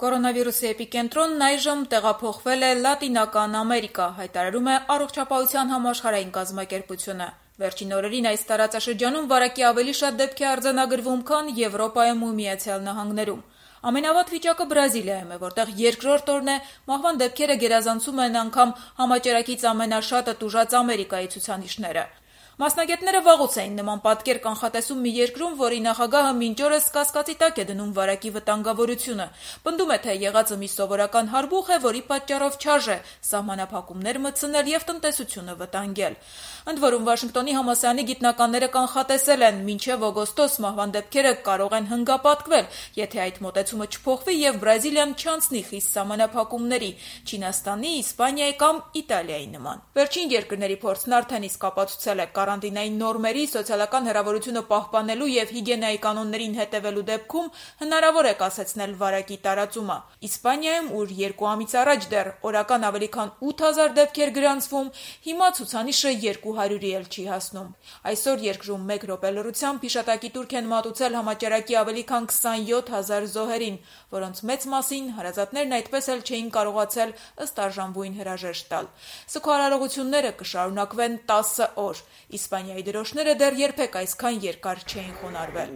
Կորոնավիրուսի էպիկենտրոնն այժմ տեղափոխվել է Լատինական Ամերիկա, հայտարարում է Առողջապահության համաշխարհային կազմակերպությունը։ Վերջին օրերին այս տարածաշրջանում վարակի ավելի շատ դեպք է արձանագրվում, քան Եվրոպայում ու Միացյալ Նահանգներում։ Ամենավատ վիճակը Բրազիլիայում է, որտեղ երկրորդ օրն է մահվան դեպքերը գերազանցում են անգամ համաճարակից ամենաշատը տուժած Ամերիկայի ցուցանիշները։ Մասնագետները վաղուց էին նման պատկեր կանխատեսում մի երկրում, որի նախագահը մինչ օրս կասկածի տակ է դնում վարակի վտանգավորությունը։ Պնդում է, թե եղածը մի սովորական հարբուխ է, որի պատճառով չարժե սահմանափակումներ մտցնել եւ տնտեսությունը վտանգել։ Ընդ որում Վաշինգտոնի համալսարանի գիտնականները կանխատեսել են, մինչև օգոստոս մահվան դեպքերը կարող են հնգապատկվել, եթե այդ մոտեցումը չփոխվի եւ Բրազիլիան չանցնի խիստ սահմանափակումների, Չինաստանի, Իսպանիայի կամ Իտալիայի նման։ Վերջին երկրների փորձն արդեն իսկ ապացուցել է կարանտինային նորմերի, սոցիալական հեռավորությունը պահպանելու եւ հիգիենայի կանոններին հետևելու դեպքում հնարավոր է կասեցնել վարակի տարածումը։ Իսպանիայում, ուր 2 ամիս առաջ դեռ օրական ավելի քան 8000 դեպք էր գրանցվում, հիմա ցուցանիշը 200-ի էլ չի հասնում։ Այսօր երկրում 1 րոպե լռությամբ հիշատակի տուրք են մատուցել համաճարակի ավելի քան 27000 զոհերին, որոնց մեծ մասին հարազատներն այդպես էլ չէին կարողացել ըստ արժանվույն հրաժեշտ տալ։ Սգո-արարողությունները կշարունակվեն 10 օր։ Իսպանիայի դրոշները դեռ երբեք այսքան երկար չէին խոնարհվել։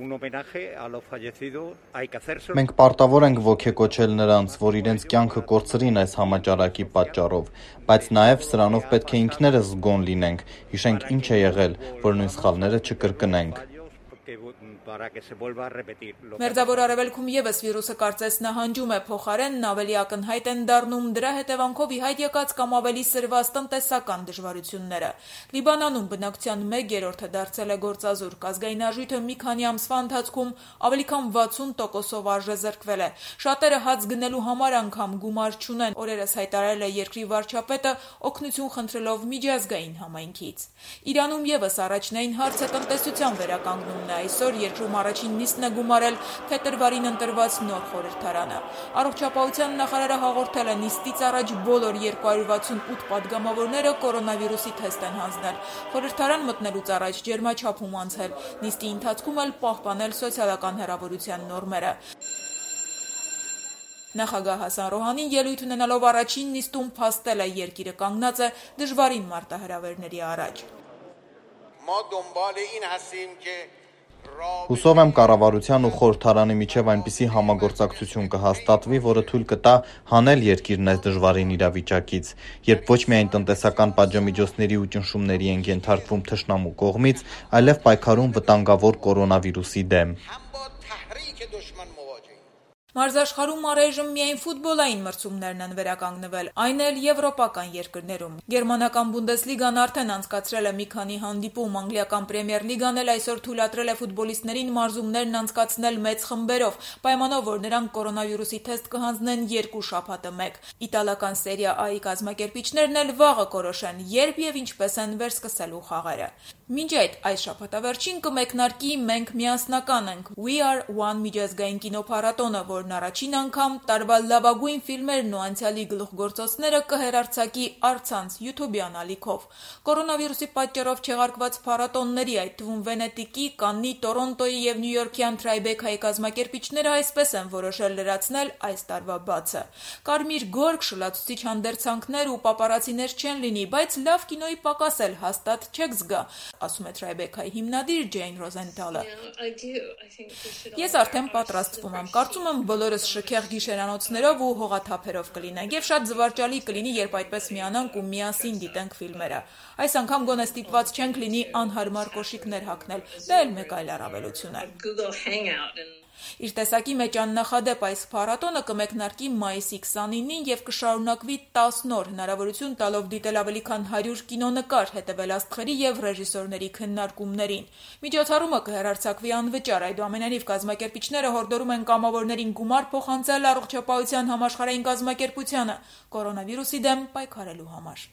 Մենք պարտավոր ենք ոգեկոչել նրանց, որ իրենց կյանքը կորցրին այս համաճարակի պատճառով, բայց նաև սրանով պետք է ինքներս զգոն լինենք, հիշենք ինչ է եղել, որ նույն սխալները չկրկնենք։ Մերձավոր Արևելքում ևս վիրուսը կարծես նահանջում է, փոխարենն ավելի ակնհայտ են դառնում դրա հետևանքով ի հայտ եկած կամ ավելի սրված տնտեսական դժվարությունները։ Լիբանանում բնակչության 1/3-ը դարձել է գործազուրկ, ազգային արժույթը մի քանի ամսվա ընթացքում ավելի քան 60%-ով արժեզրկվել է։ Շատերը հաց գնելու համար անգամ գումար չունեն, օրերս հայտարարել է երկրի վարչապետը օգնություն խնդրելով միջազգային համայնքից։ Իրանում ևս առաջնային հարցը տնտեսության վերականգնումն է։ Այսօր երկրում առաջին նիստն է գումարել փետրվարին ընտրված նոր խորհրդարանը։ Առողջապահության նախարարը հաղորդել է նիստից առաջ բոլոր 268 պատգամավորները կորոնավիրուսի թեստ են հանձնել։ Խորհրդարան մտնելուց առաջ ջերմաչափում անցել, նիստի ընթացքում էլ պահպանել սոցիալական հեռավորության նորմերը։ Նախագահ Հասան Ռոհանին ելույթ ունենալով առաջին նիստում փաստել է երկիրը կանգնած է դժվարին մարտահրավերների առաջ։ Հուսով եմ կառավարության ու խորհրդարանի միջև այնպիսի համագործակցություն կհաստատվի, որը թույլ կտա հանել երկիրն այս դժվարին իրավիճակից, երբ ոչ միայն տնտեսական պատժամիջոցների ու ճնշումների են ենթարկվում թշնամու կողմից, այլև պայքարում վտանգավոր կորոնավիրուսի դեմ։ Մարզաշխարհում առայժմ միայն ֆուտբոլային մրցումներն են վերականգնվել, այն էլ եվրոպական երկրներում։ Գերմանական Բունդեսլիգան արդեն անցկացրել է մի քանի հանդիպում, անգլիական Պրեմիեր լիգան էլ այսօր թույլատրել է ֆուտբոլիստներին մարզումներն անցկացնել մեծ խմբերով, պայմանով, որ նրանք կորոնավիրուսի թեստ կհանձնեն 2 շաբաթը մեկ։ Իտալական Սերիա A-ի կազմակերպիչներն էլ վաղը կորոշեն, երբ եւ ինչպես են վերսկսելու խաղերը։ Մինչ այս շաբաթավերջին կմեկնարկի «Մենք միասնական ենք» We Are One միջազգային կինոփառատոնը, որն առաջին անգամ տարվա լավագույն ֆիլմերն ու անցյալի գլուխգործոցները կհեռարձակի առցանց YouTube-յան ալիքով։ Կորոնավիրուսի պատճառով չեղարկված փառատոնների, այդ թվում Վենետիկի, Կաննի, Տորոնտոյի եւ Նյույորքյան Tribeca-ի կազմակերպիչները այսպես են որոշել լրացնել այս տարվա բացը։ Կարմիր գորգ, շլացուցիչ հանդերձանքներ ու պապարացիներ չեն լինի, բայց լավ կինոյի պակաս էլ հաստատ չեք զգա, ասում է Tribeca-ի հիմնադիր Ջեյն Ռոզենթալը։ Ես արդեն պատրաստվում եմ, կարծում եմ բոլորս շքեղ գիշերանոցներով ու հողաթափերով կլինենք եւ շատ զվարճալի կլինի, երբ այդպես միանանք ու միասին դիտենք ֆիլմերը։ Այս անգամ գոնե ստիպված չենք լինի անհարմար կոշիկներ հագնել, դա էլ մեկ այլ առավելություն է։ Իր տեսակի մեջ աննախադեպ այս փառատոնը կմեկնարկի մայիսի 29-ին եւ կշարունակվի 10 օր, հնարավորություն տալով դիտել ավելի քան 100 կինոնկար, հետևել աստղերի եւ ռեժիսորների քննարկումներին։ Միջոցառումը կհեռարձակվի անվճար, այդուամենայնիվ կազմակերպիչները հորդորում են կամավորներին գումար փոխանցել Առողջապահության համաշխարհային կազմակերպությանը կորոնավիրուսի դեմ պայքարելու համար։